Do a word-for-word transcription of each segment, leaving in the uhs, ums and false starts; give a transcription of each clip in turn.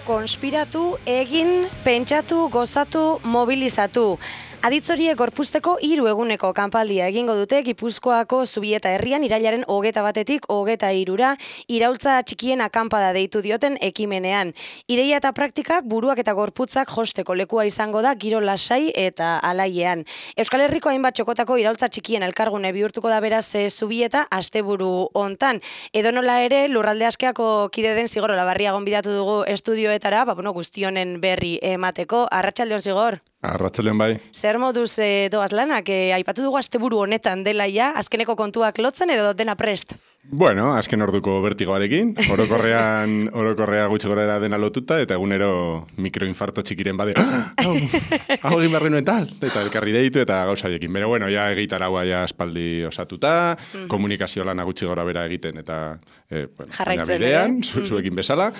konspiratu, egin, pentsatu, gozatu, mobilizatu. Aditzoriek gorpuzteko hiru eguneko kanpaldia egingo dute Gipuzkoako Zubieta herrian irailaren hogeta batetik hogeta hirura iraultza txikien akanpada deitu dioten ekimenean. Ideia eta praktikak buruak eta gorputzak josteko lekua izango da giro lasai eta alaiean. Euskal Herriko hainbat txokotako iraultza txikien elkargune bihurtuko da beraz Zubieta asteburu hontan. Edonola ere lurralde askeako kide den Zigor Olabarria gonbidatu dugu estudioetara, ba bueno, guztionen berri emateko. Arratsaldeon Zigor. Arratsaldeon bai. Zer moduz e, doaz lanak, e, aipatu dugu asteburu honetan dela ja, azkeneko kontuak lotzen edo dena prest? Bueno, azken orduko bertigoarekin, orokorrean, orokorrea gutxi gorera dena lotuta, eta egunero mikroinfarto txikiren bade, hau, hau egin barri nuen tal, eta elkarri deitu eta gauzaiekin. Pero bueno, ja egitaraua ja espaldi osatuta, mm. komunikazio lana gutxi gora bera egiten, eta eh, bueno, jarraitzen bidean, zu, zuekin bezala,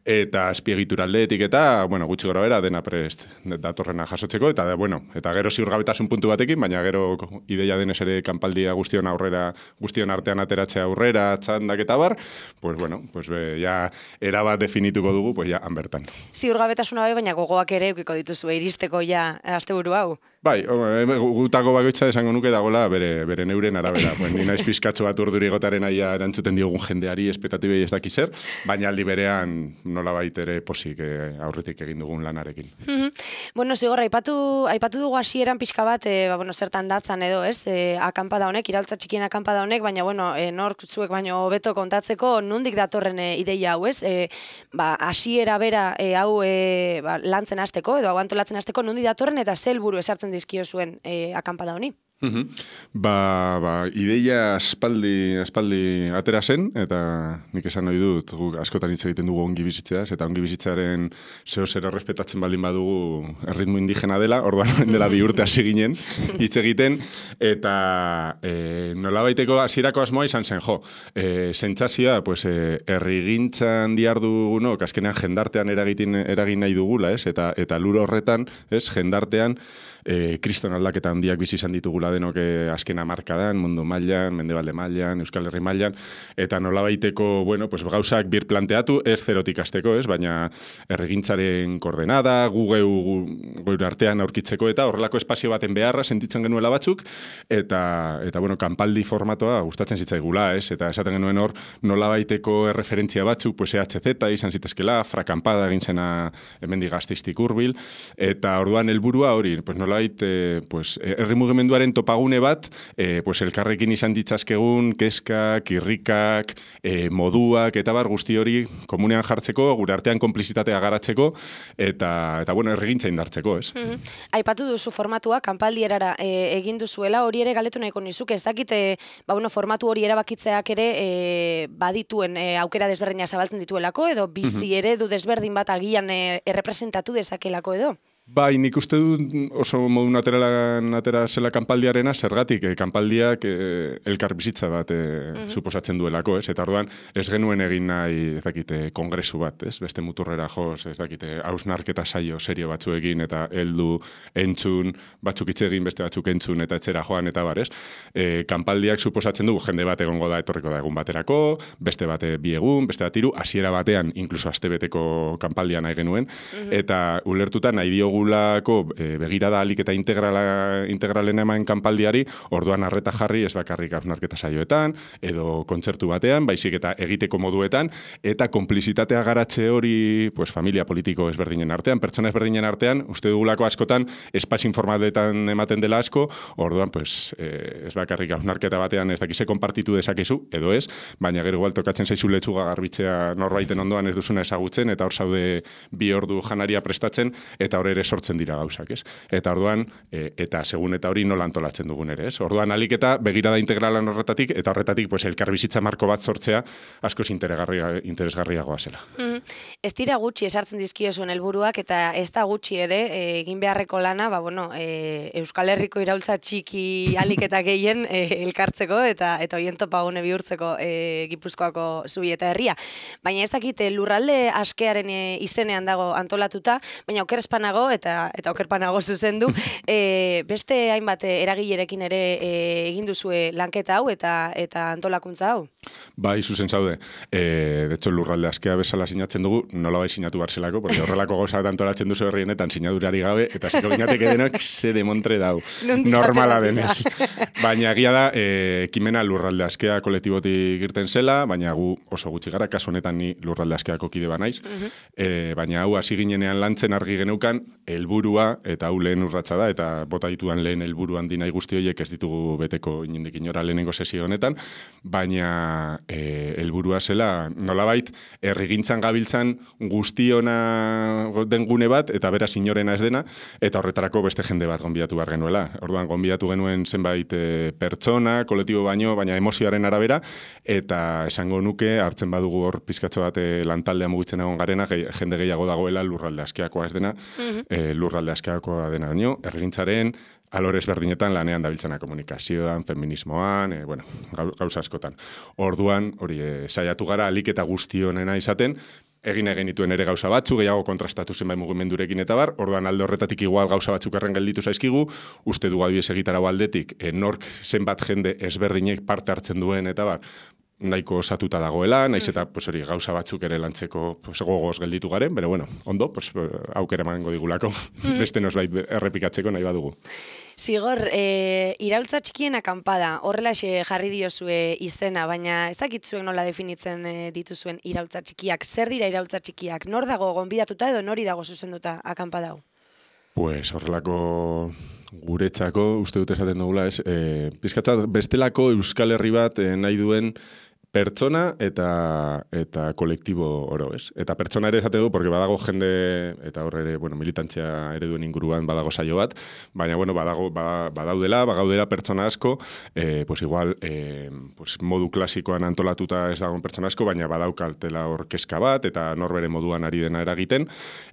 eta azpiegitura aldeetik eta, bueno, gutxi gora bera dena prest datorrena jasotzeko, eta bueno, eta gero ziurgabetasun puntu batekin, baina gero ideia denez ere kanpaldia guztion aurrera, guztion artean ateratzea aurrera, txandak eta bar, pues bueno, pues be, ja erabat definituko dugu, pues ja han bertan. Ziurgabetasuna bai, baina gogoak ere eukiko dituzu iristeko ja asteburu hau. Bai, gutako bakoitza esango nuke dagoela bere, bere neuren arabera. Pues, ni naiz pizkatxo bat urduri gotaren aia erantzuten diogun jendeari espektatibei ez dakiz zer, baina aldi berean nolabait ere posik eh, aurretik egin dugun lanarekin. Mm-hmm. Bueno, Zigor, aipatu, aipatu dugu hasieran pixka bat, e, ba, bueno, zertan datzan edo, ez, e, akanpada honek, iraultza txikien akanpada honek, baina, bueno, e, nork zuek baino hobeto kontatzeko nondik datorren e, ideia hau, ez? E, ba, hasiera bera e, hau e, ba, lantzen hasteko edo hau antolatzen hasteko nondik datorren eta ze helburu esartzen dizkio zuen e, akanpada honi? Uhum. Ba, ba, ideia aspaldi, aspaldi atera zen, eta nik esan nahi dut, guk askotan hitz egiten dugu ongi bizitzeaz, eta ongi bizitzearen zeo zer errespetatzen baldin badugu erritmo indigena dela, orduan dela bi urte hasi ginen hitz egiten, eta e, nolabaiteko hasierako asmoa izan zen, jo, e, sentsazioa, pues, e, herrigintzan dihardugunok, azkenean jendartean eragin, eragin nahi dugula, ez? Eta, eta lur horretan, ez, jendartean, E, kriston aldaketa handiak bizi izan ditugula denok azken hamarkadan, mundu mailan, mendebalde mailan, Euskal Herri mailan, eta nolabaiteko, bueno, pues gauzak bir planteatu, ez zerotik hasteko, ez, baina erregintzaren koordenada, gu geu gure artean aurkitzeko eta horrelako espazio baten beharra sentitzen genuela batzuk, eta, eta bueno, kanpaldi formatoa gustatzen zitzaigula, ez, eta esaten genuen hor nolabaiteko erreferentzia batzuk, pues E H Z izan zitezkela, frakanpada egin zena hemendik Gasteiztik hurbil, eta orduan helburua hori, pues nolabait, eh, pues, herri mugimenduaren topagune bat, eh, pues, elkarrekin izan ditzazkegun, keskak, irrikak, eh, moduak, eta bar guzti hori komunean jartzeko, gure artean konplizitatea garatzeko, eta, eta bueno, erregintza indartzeko, ez? Mm-hmm. Aipatu duzu formatua, kanpaldierara e, egin duzuela, hori ere galdetu nahiko nizuke, ez dakite, ba, bueno, formatu hori erabakitzeak ere e, badituen e, aukera desberdina zabaltzen dituelako, edo bizi mm-hmm. eredu desberdin bat agian e, errepresentatu dezakelako edo? Bai, nik uste dut oso modu nateralan atera zela kanpaldiarena, zergatik, eh, kanpaldiak eh, elkar bizitza bat eh, mm-hmm. suposatzen duelako, ez? Eta orduan ez genuen egin nahi, ez dakite, kongresu bat, ez? Beste muturrera joz, ez dakite, hausnarketa saio serio batzuekin, eta heldu entzun, batzuk hitz egin, beste batzuk entzun, eta etxera joan, eta bar, ez? E, kanpaldiak suposatzen dugu, jende bat egongo da, etorriko da egun baterako, beste bate bi egun, beste bat hiru, hasiera batean, inkluso astebeteko kanpaldia nahi genuen, mm-hmm. eta ulertuta nahi diogu Lako, e, begirada alik eta integrala, integralen eman kanpaldiari, orduan arreta jarri ez bakarrik hausnarketa saioetan, edo kontzertu batean, baizik eta egiteko moduetan, eta konplizitatea garatze hori, pues, familia politiko ezberdinen artean, pertsona ezberdinen artean, uste dugulako askotan, espazio informaletan ematen dela asko, orduan, pues, e, ez bakarrik hausnarketa batean ez dakize konpartitu dezakezu, edo ez, baina gero igual tokatzen zaizu letxuga garbitzea norbaiten ondoan ez duzuna ezagutzen, eta hor zaude bi ordu janaria prestatzen, eta hor ere sortzen dira gauzak, ez? Eta orduan, e, eta segun eta hori nola antolatzen dugun ere, ez? Orduan alik eta begirada integralan horretatik, eta horretatik, pues, elkarbizitza marko bat sortzea askoz interesgarriagoa zela. Mm-hmm. Ez dira gutxi esartzen dizkio zuen helburuak, eta ez da gutxi ere, e, egin beharreko lana, ba, bueno, e, Euskal Herriko iraultza txiki alik eta gehien e, elkartzeko, eta eta hoien topagune bihurtzeko e, Gipuzkoako Zubieta herria. Baina ez dakit, lurralde askearen e, izenean dago antolatuta, baina oker espanago, eta eta okerpanago zuzendu. e, beste hainbat eragilerekin ere e, egin duzue lanketa hau eta eta antolakuntza hau? Bai, zuzen zaude. E, de hecho, lurralde askea bezala sinatzen dugu, nola bai sinatu barzelako, porque horrelako gauza antolatzen duzu herrienetan sinadurari gabe, eta ziko binateke denok ze demontre dau. Normala denez. Baina egia da, e, ekimena lurralde askea kolektibotik irten zela, baina gu oso gutxi gara, kasu honetan ni lurralde askeako kide banaiz. Uh-huh. e, baina hau hasi ginenean lantzen argi geneukan, helburua eta hau lehen urratsa da, eta bota dituan lehen helburuan dinai guzti horiek ez ditugu beteko inondik inora lehenengo sesio honetan, baina e, helburua zela, nolabait, herrigintzan gabiltzan guztiona den gune bat, eta beraz inorena ez dena, eta horretarako beste jende bat gonbidatu behar genuela. Orduan, gonbidatu genuen zenbait e, pertsona, kolektibo baino, baina emozioaren arabera, eta esango nuke, hartzen badugu hor pizkatxo bat e, lantaldea mugitzen egon garena, ge, jende gehiago dagoela lurralde askeakoa ez dena, uh-huh. e, lurralde askeakoa dena baino, herrigintzaren, alorez berdinetan lanean dabiltzena komunikazioan, feminismoan, e, bueno, gauza askotan. Orduan, hori, e, saiatu gara, alik eta guzti honena izaten, egin egin dituen ere gauza batzu, gehiago kontrastatu zenbait mugimendurekin eta bar, orduan alde horretatik igual gauza batzuk erren gelditu zaizkigu, uste dugu adibidez egitarau aldetik, e, nork zenbat jende ezberdinek parte hartzen duen eta bar, nahiko osatuta dagoela, naiz eta pues, hori, gauza batzuk ere lantzeko pues, gogoz gelditu garen, pero bueno, ondo, pues, aukera emango digulako, beste nosbait errepikatzeko nahi badugu. Zigor, e, iraultza txikien akampada, horrelaxe jarri diozue izena, baina ez dakitzuek nola definitzen e, dituzuen iraultza txikiak. Zer dira iraultza txikiak? Nor dago gonbidatuta edo nori dago zuzenduta akampada hau? Pues horrelako guretzako, uste dut esaten dugula, ez? E, Pizkatzat, bestelako Euskal Herri bat e, nahi duen pertsona eta eta kolektibo oro, ez? Eta pertsona ere esate du, porque badago jende, eta hor ere, bueno, militantzia ere duen inguruan badago saio bat, baina, bueno, badago, badaudela, bagaudela pertsona asko, eh, pues igual, eh, pues modu klasikoan antolatuta ez dagoen pertsona asko, baina badaukaltela hor kezka bat, eta norbere moduan ari dena eragiten,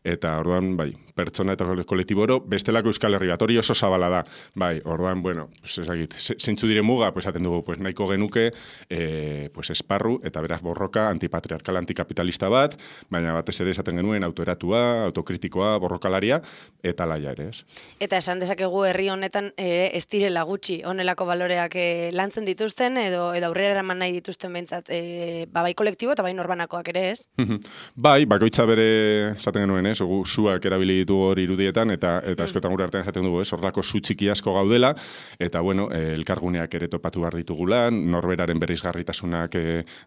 eta orduan, bai, pertsona eta kolektibo oro, bestelako Euskal Herri bat, hori oso zabala da, bai, orduan, bueno, pues ezagit, zeintzu dire muga, pues aten dugu, pues nahiko genuke, eh, pues esparru, eta beraz borroka antipatriarkal antikapitalista bat, baina batez ere esaten genuen autoeratua, autokritikoa, borrokalaria, eta laia ere, ez. Eta esan dezakegu herri honetan ere ez direla gutxi honelako baloreak e, lantzen dituzten, edo edo aurrera eraman nahi dituzten behintzat, e, ba, bai kolektibo eta bai norbanakoak ere, ez? Bai, bakoitza bere esaten genuen, ez, gu suak erabili ditu hor irudietan, eta eta askotan gure artean esaten dugu, ez, horrelako su txiki asko gaudela, eta bueno, e, elkarguneak ere topatu behar ditugula, norberaren bereizgarritasunak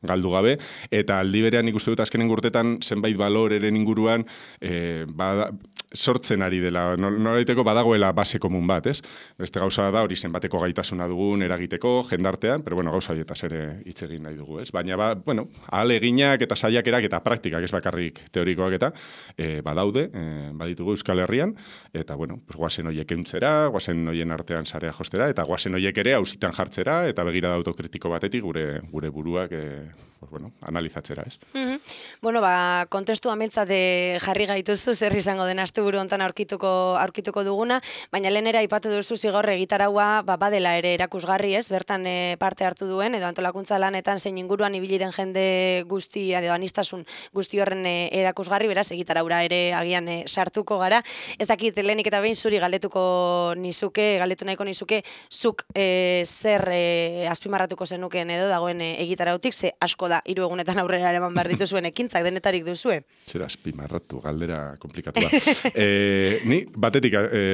galdu gabe, eta aldi berean ikuste dut azkenen urtetan zenbait baloreren inguruan e, bada, sortzen ari dela, nolaiteko badagoela base komun bat, ez? Beste gauza da hori zenbateko gaitasuna dugun eragiteko, jendartean, pero bueno, gauza horietaz ere hitz egin nahi dugu, ez? Baina, ba, bueno, ahaleginak eta saiakerak eta praktikak, ez bakarrik teorikoak eta e, badaude, e, baditugu Euskal Herrian, eta, bueno, pues, guazen horiek euntzera, guazen horien artean sarea jostera, eta guazen horiek ere auzitan jartzera, eta begirada autokritiko batetik gure gure buruak e, pues, bueno, analizatzera, ez? Mm-hmm. Bueno, ba, kontestu ametzate jarri gaituzu, zer izango den asteburu hontan aurkituko aurkituko duguna, baina lehenera aipatu duzu Zigor egitaraua ba, badela ere erakusgarri, ez? Bertan e, parte hartu duen, edo antolakuntza lanetan zein inguruan ibili den jende guzti, edo anistasun guzti horren e, erakusgarri, beraz, egitaraura ere agian e, sartuko gara. Ez dakit, lehenik eta behin zuri galdetuko nizuke, galdetu nahiko nizuke, zuk e, zer e, azpimarratuko zenuken edo dagoen e, egitarautik, ze asko da, hiru egunetan aurrera eraman behar dituzuen ekintzak denetarik duzue. Zer azpimarratu, galdera komplikatua. e, ni, batetik, e,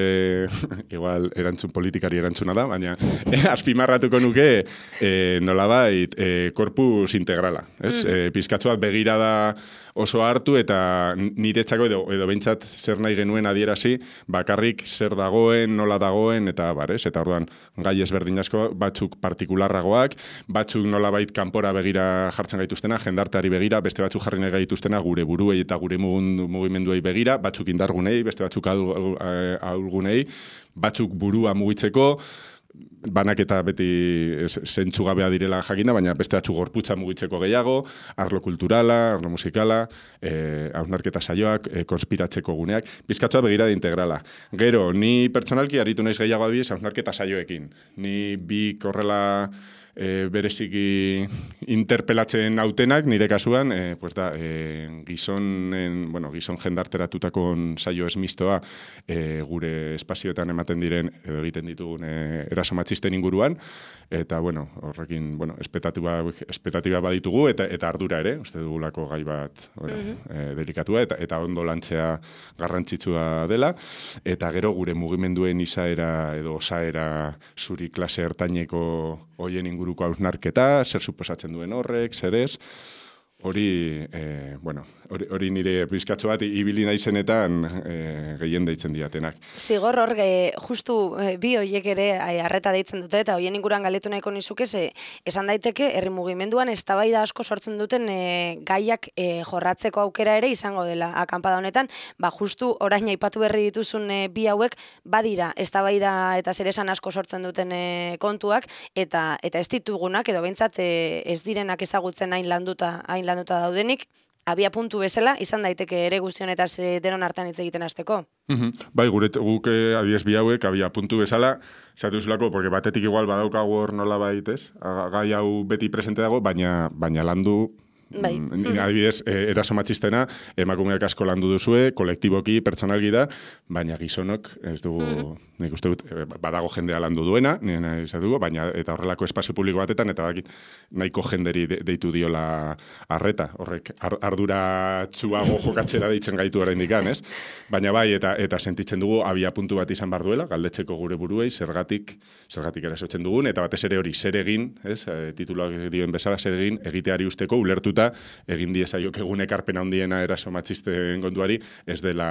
igual, erantzun politikari erantzuna da, baina e, azpimarratuko nuke e, nolabait e, korpus integrala. Ez? Mm. E, pizkatzuat begirada oso hartu eta niretzako edo, edo behintzat zer nahi genuen adierazi, bakarrik zer dagoen, nola dagoen, eta bar, ez? Eta orduan, gai ezberdin asko, batzuk partikularragoak, batzuk nolabait kanpora begira jartzen gaituztena, jendarteari begira, beste batzuk jarri nahi gaituztena gure buruei eta gure mugimenduei begira, batzuk indargunei, beste batzuk ahulgunei, batzuk burua mugitzeko, banak eta beti zentzugabea direla jakina, baina beste batzu gorputza mugitzeko gehiago, arlo kulturala, arlo musikala, eh, hausnarketa saioak, eh, konspiratzeko guneak, bizkatzua begirada integrala. Gero, ni pertsonalki aritu naiz gehiago adibidez hausnarketa saioekin. Ni bi korrela e, bereziki interpelatzen nautenak, nire kasuan, e, pues da, e, gizonen, bueno, gizon jendarteratutako saio esmistoa e, gure espazioetan ematen diren, edo egiten ditugun e, eraso matxisten inguruan, eta, bueno, horrekin, bueno, espetatiba, espetatiba baditugu, eta, eta ardura ere, uste dugulako gai bat, bueno, mm-hmm. e, delikatua, eta, eta ondo lantzea garrantzitsua dela, eta gero gure mugimenduen izaera edo osaera zuri klase ertaineko hoien inguruko hausnarketa, zer suposatzen duen horrek, zer ez, hori, e, bueno, hori, hori nire pizkatxo bat ibili naizenetan e, gehien deitzen diatenak. Zigor hor, e, justu e, bi hoiek ere arreta deitzen dute, eta hoien inguruan galetu nahiko nizuke, ze, esan daiteke, herri mugimenduan eztabaida asko sortzen duten e, gaiak e, jorratzeko aukera ere izango dela akanpada honetan, ba justu orain aipatu berri dituzun e, bi hauek badira eztabaida eta zeresan asko sortzen duten e, kontuak, eta eta ez ditugunak, edo behintzat e, ez direnak ezagutzen hain landuta, hain landuta daudenik, abia puntu bezala, izan daiteke ere guztionetaz denon hartan hitz egiten hasteko. Mm-hmm. Bai, gure guk adiez bi hauek, abia puntu bezala, zatu zulako, porque batetik igual badaukagu hor nola baitez, gai hau beti presente dago, baina, baina landu, Bai. Mm, adibidez, eh, eraso matxistena, emakumeak asko landu duzue, kolektiboki, pertsonalgi da, baina gizonok, ez dugu, mm. nik uste dut, badago jendea landu duena, nire dugu, baina eta horrelako espazio publiko batetan, eta bakit nahiko jenderi de, deitu diola arreta, horrek ar, ardura txuago jokatzera deitzen gaitu oraindik, ez? Baina bai, eta eta sentitzen dugu abia puntu bat izan behar duela, galdetzeko gure buruei, zergatik, zergatik erasotzen dugun, eta batez ere hori zer egin, ez? E, tituluak dioen bezala, zer egin, egiteari usteko, ulertu egin diezaiok egun ekarpen handiena eraso matxisten kontuari, ez dela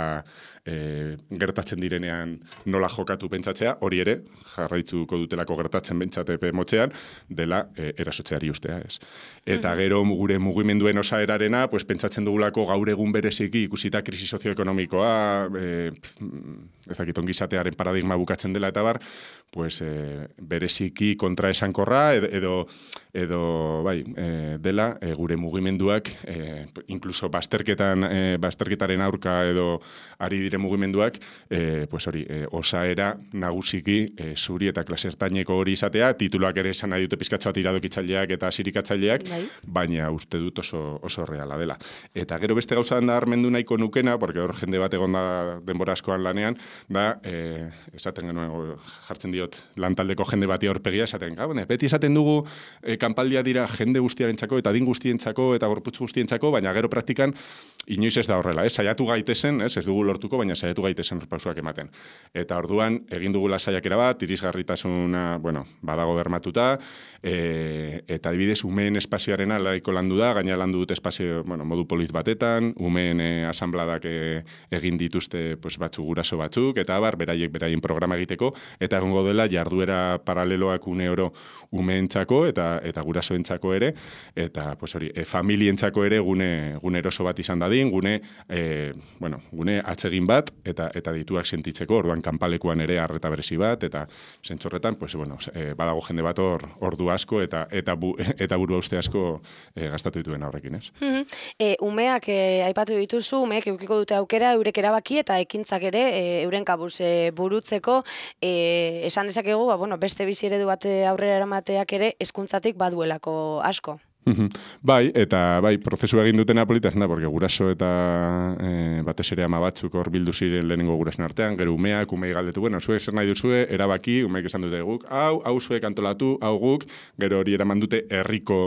e, gertatzen direnean nola jokatu pentsatzea, hori ere, jarraitzuko dutelako gertatzen pentsatepe motzean, dela e, erasotzeari ustea, ez. Eta mm-hmm. gero gure mugimenduen osaerarena, pues, pentsatzen dugulako gaur egun bereziki ikusita krisi sozioekonomikoa, e, ezakit ongizatearen paradigma bukatzen dela eta bar, pues, e, bereziki kontraesankorra edo, edo, edo bai, e, dela e, gure mugimenduak, e, incluso basterketan, e, basterketaren aurka edo ari dire mugimenduak, e, pues hori, e, osaera nagusiki e, zuri eta klasertaineko hori izatea, tituluak ere esan nahi dute pizkatxoa tiradokitzaileak eta sirikatzaileak, bai. Baina uste dut oso, oso reala dela. Eta gero beste gauza da armendu nahiko nukena, porque hor jende bat egon da denbora askoan lanean, da, e, esaten genuen, jartzen diot, lantaldeko jende bati aurpegia, esaten, gabone, beti esaten dugu, e, kanpaldia dira jende guztiarentzako eta din guztientzako eta gorputz guztientzako, baina gero praktikan inoiz ez da horrela, ez? Saiatu gaitezen, ez? Ez dugu lortuko, baina saiatu gaitezen pausuak ematen. Eta orduan, egin dugula saiakera bat, irisgarritasuna, bueno, badago bermatuta, e, eta adibidez, umeen espazioarena laiko landu da, gaina landu dut espazio, bueno, modu polit batetan, umeen e, asambladak e, egin dituzte pues, batzu guraso batzuk, eta abar, beraiek beraien programa egiteko, eta egongo dela jarduera paraleloak une oro umeentzako eta eta gurasoentzako ere, eta pues hori, e, familientzako ere gune, gune eroso bat izan dadin, gune, e, bueno, gune atsegin bat, eta eta dituak sentitzeko, orduan kanpalekuan ere arreta berezi bat, eta zentzorretan, pues, bueno, e, badago jende bat hor ordu asko, eta eta, bu, eta buru uste asko e, gastatu dituen horrekin, ez? Mm-hmm. e, umeak e, aipatu dituzu, umeek eukiko dute aukera, eurek erabaki eta ekintzak ere, e, euren kabuz e, burutzeko, e, esan dezakegu, ba, bueno, beste bizi eredu bat aurrera eramateak ere hezkuntzatik baduelako asko. Bai, eta bai, prozesua egin dutena politaz, da, porque guraso eta e, batez ere ama batzuk hor bildu ziren lehenengo gurasen artean, gero umeak, umei galdetu, bueno, zuek zer nahi duzue, erabaki, umeek esan dute guk, hau, hau zuek antolatu, hau guk, gero hori eraman dute herriko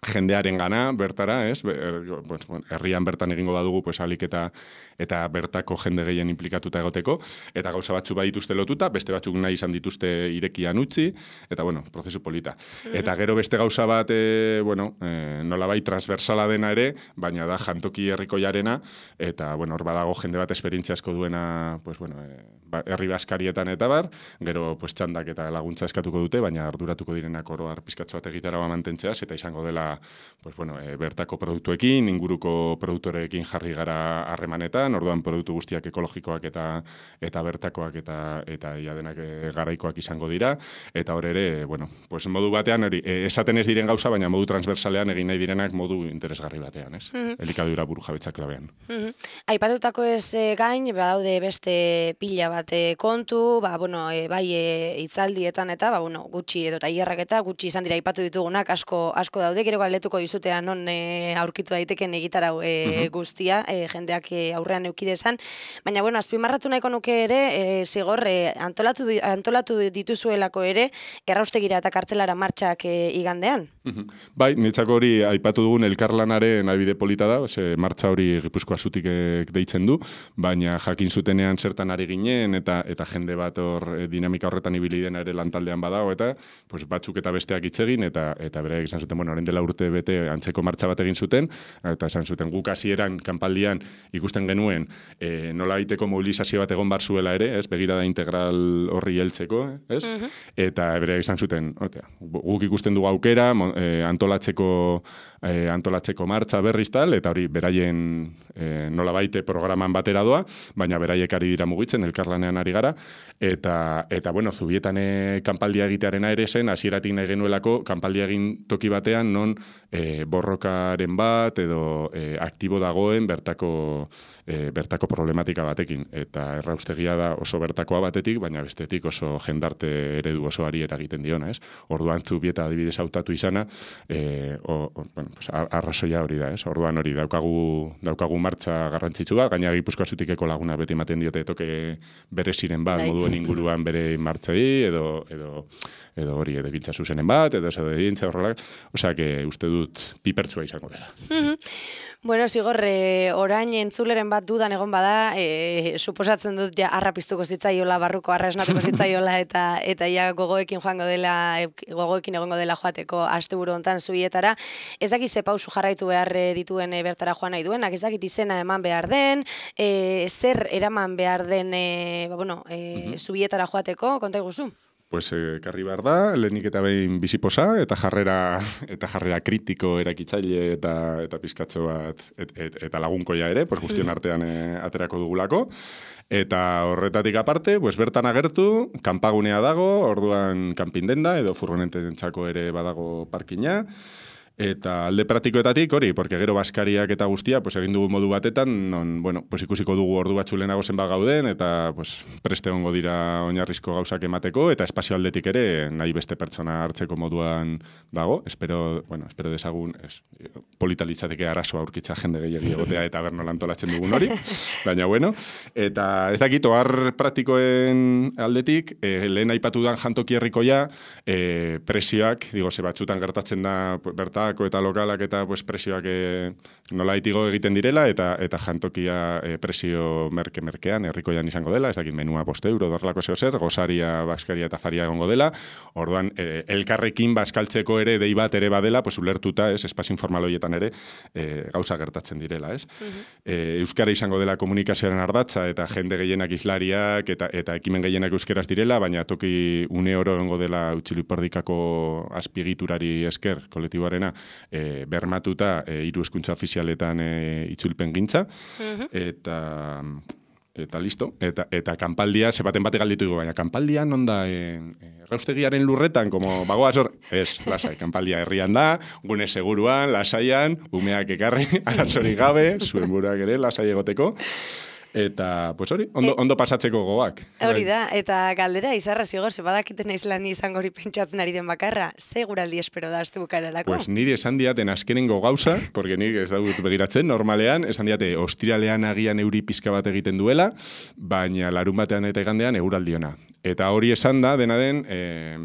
jendearen gana, bertara, ez? Pues, bueno, herrian bertan egingo badugu, pues, alik eta, eta bertako jende gehien implikatuta egoteko, eta gauza batzu badituzte lotuta, beste batzuk nahi izan dituzte irekian utzi, eta, bueno, prozesu polita. Mm-hmm. Eta gero beste gauza bat, e, bueno, e, nolabai transversala dena ere, baina da jantoki herrikoiarena, eta, bueno, hor badago jende bat esperientzia asko duena, pues, bueno, e, ba, herri baskarietan eta bar, gero, pues, txandak eta laguntza eskatuko dute, baina arduratuko direnak oro har pizkatxo bat egitaragoa mantentzeaz, eta izango dela pues, bueno, e, bertako produktuekin, inguruko produktoreekin jarri gara harremanetan, orduan produktu guztiak ekologikoak eta eta bertakoak eta eta ia denak e, garaikoak izango dira, eta hor ere, bueno, pues, modu batean, hori, e, esaten ez diren gauza, baina modu transversalean egin nahi direnak modu interesgarri batean, ez? Mm -hmm. Elikadura burujabetza klabean. Mm -hmm. Aipatutako ez e, gain, badaude beste pila bat e, kontu, ba, bueno, e, bai e, hitzaldietan eta, ba, bueno, gutxi edo tailerrak eta gutxi izan dira aipatu ditugunak asko asko daude, gero galdetuko dizutea non e, aurkitu daiteken egitarau e, mm -hmm. guztia, e, jendeak e, aurrean eukidezan, baina, bueno, azpimarratu nahiko nuke ere, e, zigor, e, antolatu, antolatu dituzuelako ere, erraustegira eta kartelara martxak e, igandean. Mm -hmm. Bai, niretzako hori aipatu dugun elkarlanaren abide polita da, ze martxa hori Gipuzkoa zutik deitzen du, baina jakin zutenean zertan ari ginen, eta eta jende bat hor e, dinamika horretan ibili dena ere lantaldean badago, eta pues, batzuk eta besteak hitz egin, eta eta bereak izan zuten, bueno, orain dela urte bete antzeko martxa bat egin zuten, eta esan zuten guk hasieran kanpaldian ikusten genuen e, nola baiteko mobilizazio bat egon bar zuela ere, ez, begirada integral horri heltzeko, ez? Mm -hmm. Eta bereak izan zuten, otea, guk ikusten dugu aukera, e, antolatzeko e, antolatzeko martxa berriz tal, eta hori beraien e, nola baite programan batera doa, baina beraiek ari dira mugitzen, elkarlanean ari gara, eta, eta bueno, Zubietan e, kanpaldia egitearena ere zen, hasieratik nahi genuelako, kanpaldia egin toki batean, non e, borrokaren bat, edo e, aktibo dagoen bertako, e, bertako problematika batekin, eta erraustegia da oso bertakoa batetik, baina bestetik oso jendarte eredu osoari eragiten diona, ez? Orduan Zubieta adibidez hautatu izana, e, o, o, bueno, pues, arrazoia hori da, ez? Orduan hori daukagu, daukagu martxa garrantzitsu bat, gaina Gipuzkoa zutikeko laguna beti ematen diote toke bere ziren bat, moduen inguruan bere martxai, edo, edo, edo hori edekintza zuzenen bat, edo edo edintza horrelak, osea, que uste dut pipertsua izango dela. Mm-hmm. Bueno, Zigor, e, orain entzuleren bat dudan egon bada, e, suposatzen dut ja arra piztuko zitzaiola, barruko arra esnatuko zitzaiola, eta eta ja gogoekin joango dela, gogoekin egongo dela joateko asteburu hontan Zubietara. Ez dakit ze pausu jarraitu behar dituen e, bertara joan nahi duenak, ez dakit izena eman behar den, e, zer eraman behar den e, ba, bueno, e, mm-hmm. Zubietara joateko, konta iguzu? Pues ekarri eh, behar da, lehenik eta behin biziposa, eta jarrera eta jarrera kritiko erakitzaile eta eta pizkatxo bat et, et, eta lagunkoia ere, pues guztion artean e, aterako dugulako. Eta horretatik aparte, pues bertan agertu, kanpagunea dago, orduan kanpindenda edo furgonententzako ere badago parkina. Eta alde praktikoetatik hori, porque gero baskariak eta guztia, pues egin dugu modu batetan, non, bueno, pues ikusiko dugu ordu batzu lehenago zenbat gauden, eta pues preste hongo dira oinarrizko gauzak emateko, eta espazio aldetik ere nahi beste pertsona hartzeko moduan dago. Espero, bueno, espero desagun, es, polita litzateke arazoa aurkitza jende gehiagi egotea eta berno lantolatzen dugun hori. Baina bueno, eta ez dakit, ohar praktikoen aldetik, eh, lehen aipatu dan jantoki herrikoia, eh, presioak, digo, ze batzutan gertatzen da, berta eta lokalak eta pues, presioak e, nola itigo egiten direla, eta eta jantokia e, presio merke-merkean, herrikoian izango dela, ez dakit menua bost euro, dorlako zeo zer, gozaria, baskaria eta faria egongo dela, orduan, e, elkarrekin baskaltzeko ere dei bat ere badela, pues, ulertuta, ez, espazio informal horietan ere, e, gauza gertatzen direla, ez. Uh-huh. e, Euskara izango dela komunikazioaren ardatza, eta jende gehienak islariak, eta eta ekimen gehienak euskeraz direla, baina toki une oro egongo dela Utxiluperdikako azpiegiturari esker, kolektiboarena, E, bermatuta e, hiru hezkuntza ofizialetan e, itzulpen gintza, uh-huh. eta eta listo, eta eta kanpaldia se baten bate galditu digo, baina kanpaldia non da e, erraustegiaren lurretan, como bagoaz hor, ez, lasai, kanpaldia herrian da, gune seguruan, lasaian, umeak ekarri, arazorik gabe, zuen buruak ere, lasai egoteko. Eta, pues hori, ondo, ondo pasatzeko gogoak. Hori da, eta galdera, izarra Zigor, ze badakiten aizlan izango hori pentsatzen ari den bakarra, ze guraldi espero da azte bukararako? Pues niri esan diaten azkenengo gauza, porque niri ez dut begiratzen, normalean, esan diate, ostiralean agian euri pizka bat egiten duela, baina larun batean eta igandean euraldiona. Eta hori esan da, dena den, eh,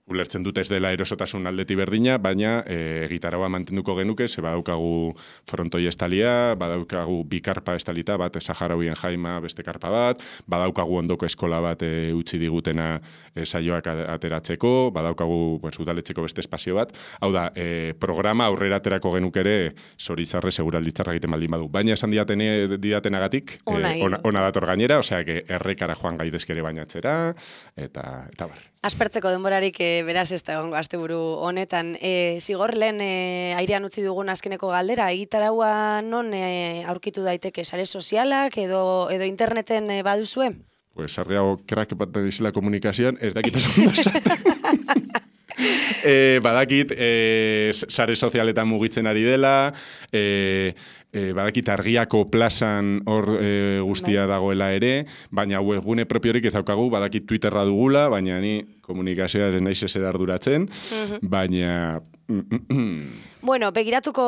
ulertzen dute ez dela erosotasun aldeti berdina, baina e, gitaraua mantenduko genuke, ze badaukagu frontoi estalia, badaukagu bi karpa estalita, bat Saharauien jaima beste karpa bat, badaukagu ondoko eskola bat e, utzi digutena e, saioak ateratzeko, badaukagu pues, udaletxeko beste espazio bat. Hau da, e, programa aurrera aterako genuke ere zoritzarre seguralditzarra egiten baldin badu. Baina esan diatene, didatenagatik, ona, e, ona, ona dator gainera, osea, que errekara joan gaidezkere bainatzera, eta, eta bar. Aspertzeko denborarik e, beraz ez da egongo asteburu honetan. E, zigor lehen e, airean utzi dugun azkeneko galdera, egitaraua non e, aurkitu daiteke, sare sozialak edo, edo interneten e, baduzue? Pues sarriago krak bat dizela komunikazioan, ez dakit esan da E, badakit, e, sare sozialetan mugitzen ari dela, e, e, badakit argiako plazan hor e, guztia dagoela ere, baina webgune propiorik ez daukagu, badakit Twitterra dugula, baina ni komunikazioa ez naiz ezer arduratzen, baina... Bueno, begiratuko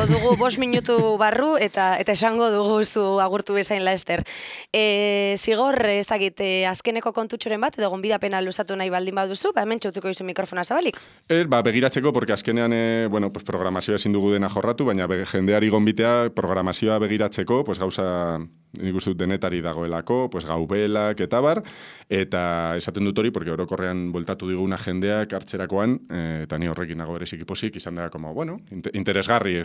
dugu bost minutu barru eta eta esango dugu zu agurtu bezain laester. E, zigor, ezagit, e, azkeneko kontutxoren bat, edo gonbidapena luzatu nahi baldin baduzu, ba, hemen txautuko izu mikrofona zabalik. Ez, ba, begiratzeko, porque azkenean, e, bueno, pues, programazioa ezin dugu dena jorratu, baina be, jendeari gonbitea programazioa begiratzeko, pues, gauza... nik uste dut denetari dagoelako, pues, gaubelak eta bar, eta esaten dut hori, porque orokorrean bueltatu diguna jendeak hartzerakoan, e, eta ni horrekin nago berezik iposik, izan da, como, bueno, interesgarri,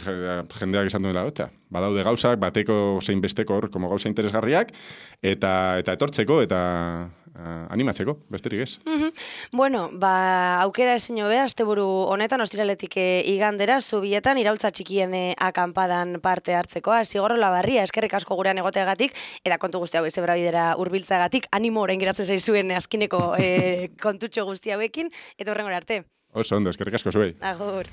jendeak izan duela, eta badaude gauzak, bateko zein besteko hor, como gauza interesgarriak, eta eta etortzeko, eta uh, animatzeko, besterik ez. Mm-hmm. Bueno, ba, aukera ezin hobea, asteburu honetan, ostiraletik e, igandera, zubietan, iraultza txikien e, akampadan parte hartzekoa, Zigor Olabarria, eskerrik asko gurean egoteagatik, eta kontu guzti hau ezebra bidera urbiltzagatik, animo orain geratzen zaizuen azkineko e, kontutxo guzti hauekin, eta horrengora arte. Oso ondo, eskerrik asko zuei. Agur.